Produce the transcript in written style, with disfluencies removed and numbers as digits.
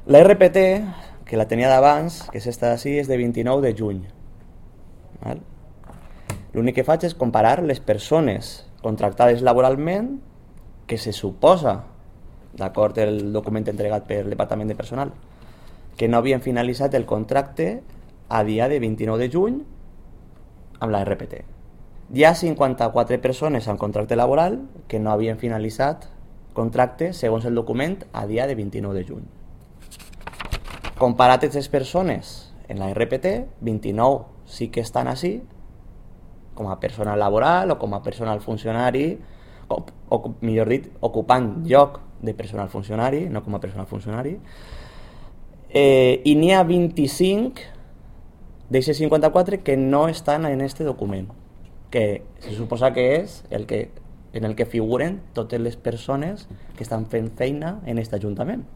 La RPT, que la tenia d'abans, que és esta d'ací, és de 29 de juny. Val? L'únic que faig és comparar les persones contractades laboralment que se suposa, d'acord el document entregat pel Departament de Personal, que no havien finalitzat el contracte a dia de 29 de juny amb la RPT. Hi ha 54 persones amb contracte laboral que no havien finalitzat contracte segons el document a dia de 29 de juny. Comparat aquestes persones en la RPT, 29 sí que estan així, com a personal laboral o com a personal funcionari, o millor dit, ocupant lloc de personal funcionari, no com a personal funcionari, i n'hi ha 25 d'aquests 54 que no estan en este document, que se suposa que és en el que figuren totes les persones que estan fent feina en aquest Ajuntament.